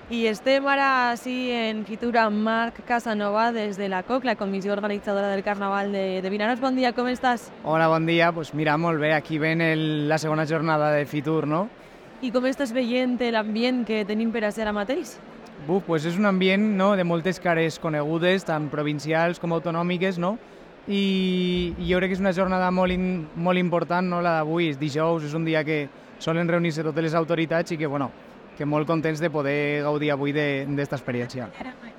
Y estem ara així en Fitur amb Marc Casanova des de la COC, la Comissió Organitzadora del Carnaval de Vinaròs. Bon dia, com estàs? Hola, bon dia. Pues mira, molt bé. Aquí ven la segona jornada de Fitur, no? I com estàs veient l'ambient que tenim per a ser ara mateix? Pues és un ambient, no?, de moltes cares conegudes, tant provincials com autonòmiques, no? I jo crec que és una jornada molt important, no?, la d'avui. És dijous, és un dia que solen reunir-se totes les autoritats i que, bueno, que molt contents de poder gaudir avui d'esta experiència.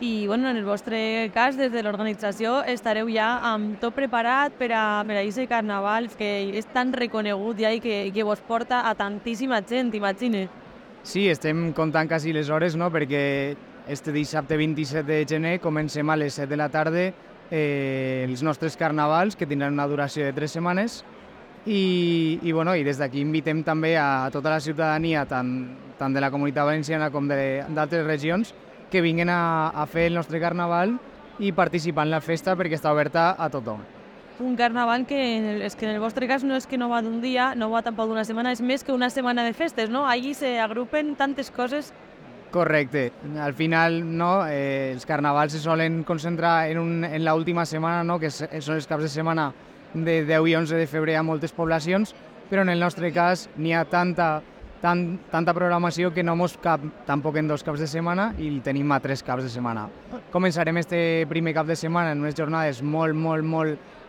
I bueno, en el vostre cas, des de l'organització, estareu ja amb tot preparat per a aquest carnaval que és tan reconegut ja i que vos porta a tantíssima gent, imagine. Sí, estem comptant quasi les hores, no?, perquè este dissabte 27 de gener comencem a les 7 de la tarda els nostres carnavals, que tindran una duració de 3 setmanes, i des d'aquí invitem també a tota la ciutadania, tant de la Comunitat Valenciana com d'altres regions, que vinguin a fer el nostre carnaval i participar en la festa perquè està oberta a tothom. Un carnaval que és que en el vostre cas no és que no va d'un dia, no va tampoc d'una setmana, és més que una setmana de festes, no? Allí s'agrupen tantes coses. Correcte. Al final, no, els carnavals se solen concentrar en l'última setmana, no?, que són els caps de setmana de 10 i 11 de febrer a moltes poblacions, però en el nostre cas n'hi ha tanta programació que no mos cap tampoc en 2 caps de setmana i tenim a 3 caps de setmana. Començarem este primer cap de setmana en unes jornades molt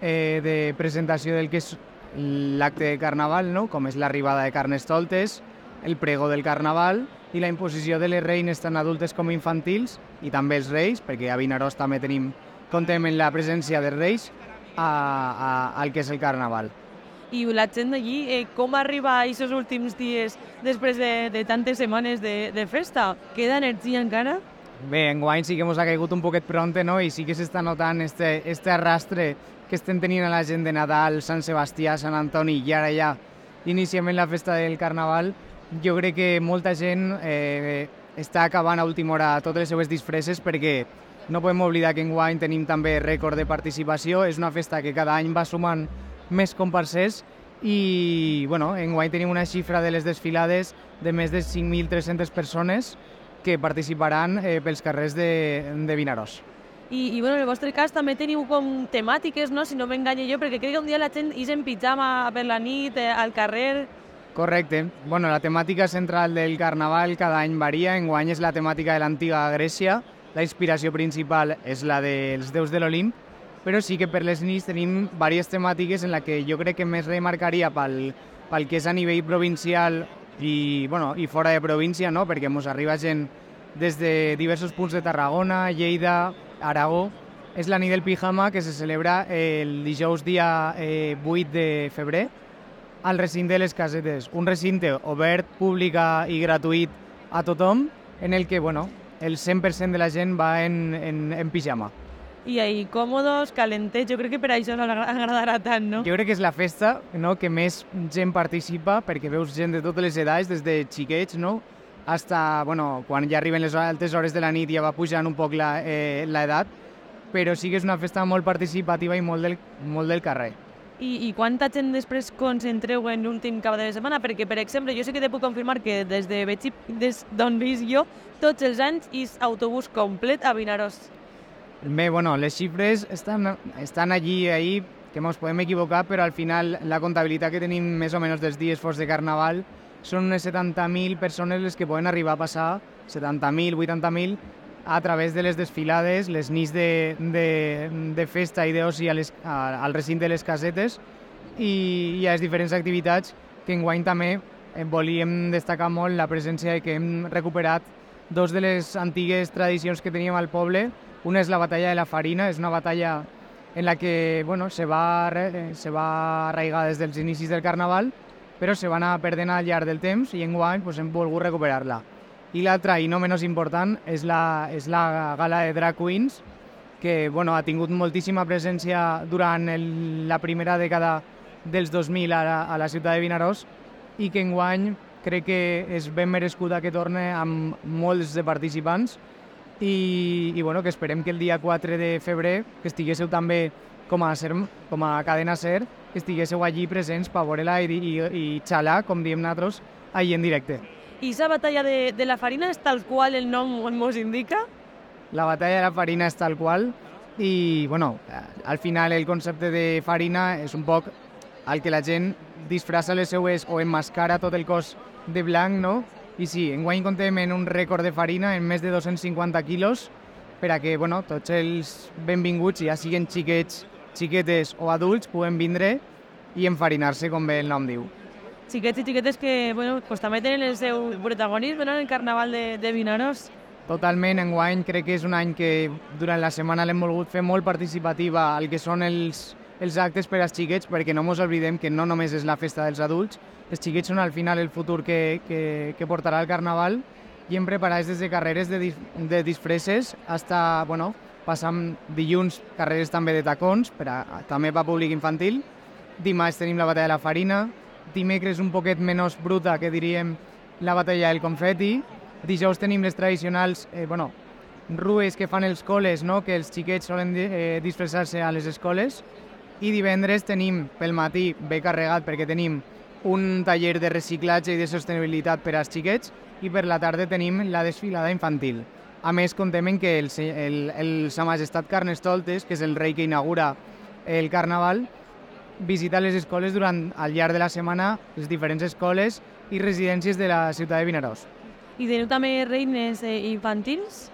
de presentació del que és l'acte de carnaval, no?, com és l'arribada de carnestoltes, el pregó del carnaval i la imposició de les reines tant adultes com infantils i també els reis, perquè a Vinaròs també contem amb la presència dels reis al que és el carnaval. I la gent d'allí, com arriba a aquests últims dies després de tantes setmanes de festa? Queda energia encara? Bé, enguany sí que ens ha caigut un poquet pronte, no?, i sí que s'està notant este arrastre que estem tenint a la gent de Nadal, Sant Sebastià, Sant Antoni i ara ja iniciem la festa del carnaval. Jo crec que molta gent està acabant a última hora totes les seues disfresses perquè no podem oblidar que enguany tenim també rècord de participació. És una festa que cada any va sumant més comparsers i enguany tenim una xifra de les desfilades de més de 5.300 persones que participaran pels carrers de Vinaròs. I en el vostre cas també teniu com temàtiques, no?, si no m'enganye jo, perquè crec que un dia la gent és en pijama per la nit, al carrer. Correcte. La temàtica central del carnaval cada any varia. Enguany és la temàtica de l'antiga Grècia. La inspiració principal és la dels déus de l'Olimp, però sí que per les nits tenim diverses temàtiques en la que jo crec que més remarcaria pel que és a nivell provincial i fora de província, no?, perquè ens arriba gent des de diversos punts de Tarragona, Lleida, Aragó. És la nit del pijama que se celebra el dijous dia 8 de febrer al recinte de les Casetes, un recinte obert, públic i gratuït a tothom, en el que el 100% de la gent va en pijama. I ahí còmodes, calentets, jo crec que per això us agradarà tant, no? Jo crec que és la festa, no?, que més gent participa, perquè veus gent de totes les edats, des de xiquets, no?, hasta, quan ja arriben les altes hores de la nit ja va pujant un poc l'edat, però sí que és una festa molt participativa i molt del carrer. I quanta gent després concentreu en l'últim cap de setmana? Perquè, per exemple, jo sí que te puc confirmar que des d'on visc jo, tots els anys és autobús complet a Vinaròs. Bé, les xifres estan allí, que ens podem equivocar, però al final la comptabilitat que tenim més o menys dels dies forts de carnaval són unes 70.000 persones les que poden arribar a passar, 70.000, 80.000, a través de les desfilades, les nits de festa i d'oci al recinte de les Casetes i a les diferents activitats que enguany també volíem destacar molt la presència de que hem recuperat 2 de les antigues tradicions que teníem al poble. Una és la batalla de la farina, és una batalla en la que se va arraigar des dels inicis del carnaval, però se va anar perdent al llarg del temps i enguany hem volgut recuperar-la. I l'altra, i no menys important, és la gala de Drag Queens, que ha tingut moltíssima presència durant la primera dècada dels 2000 a la ciutat de Vinaròs i que enguany crec que és ben merescuda que torne amb molts de participants i que esperem que el dia 4 de febrer, que estiguéssiu també com a cadena SER, que estiguéssiu allí presents per veure-la i xalar, com diem nosaltres, allí en directe. I la batalla de la farina és tal qual el nom mos indica? La batalla de la farina és tal qual i, bueno, al final el concepte de farina és un poc el que la gent disfressa les seues o emmascara tot el cos de blanc, no? I sí, enguany contem en un rècord de farina en més de 250 quilos per a que, bueno, tots els benvinguts, ja siguen xiquets, xiquetes o adults, puguen vindre i enfarinar-se, com bé el nom diu. Xiquets i xiquetes que, bueno, pues també tenen el seu protagonisme, no?, en el carnaval de Vinaròs. Totalment, enguany crec que és un any que durant la setmana l'hem volgut fer molt participativa al que són els actes per als xiquets, perquè no ens oblidem que no només és la festa dels adults, els xiquets són al final el futur que portarà el carnaval i hem preparat des de carreres de disfresses hasta, bueno, passant dilluns carreres també de tacons, també per públic infantil. Dimarts tenim la batalla de la farina, dimecres un poquet menys bruta, que diríem la batalla del confeti. Dijous tenim les tradicionals rues que fan els col·les, no?, que els xiquets solen disfressar-se a les escoles. I divendres tenim pel matí ben carregat perquè tenim un taller de reciclatge i de sostenibilitat per als xiquets i per la tarda tenim la desfilada infantil. A més, contem que Sa Majestat Carnestoltes, que és el rei que inaugura el carnaval, visita les escoles al llarg de la setmana, les diferents escoles i residències de la ciutat de Vinaròs. I teniu també reines infantils?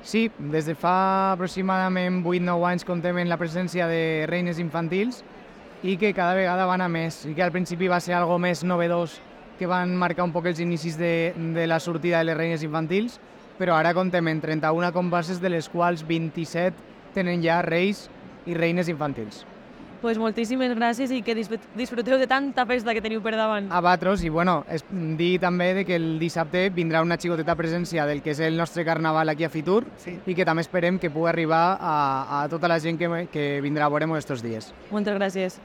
Sí, des de fa aproximadament 8-9 anys contem en la presència de reines infantils i que cada vegada van a més. I que al principi va ser algo més novedós, que van marcar un poc els inicis de la sortida de les reines infantils, però ara contem en 31 comparses, de les quals 27 tenen ja reis i reines infantils. Pues moltíssimes gràcies i que disfruteu de tanta festa que teniu per davant. A vosaltres, i bueno, dir també que el dissabte vindrà una xicoteta presència del que és el nostre carnaval aquí a Fitur, sí, i que també esperem que pugui arribar a tota la gent que vindrà a veure-nos estos dies. Moltes gràcies.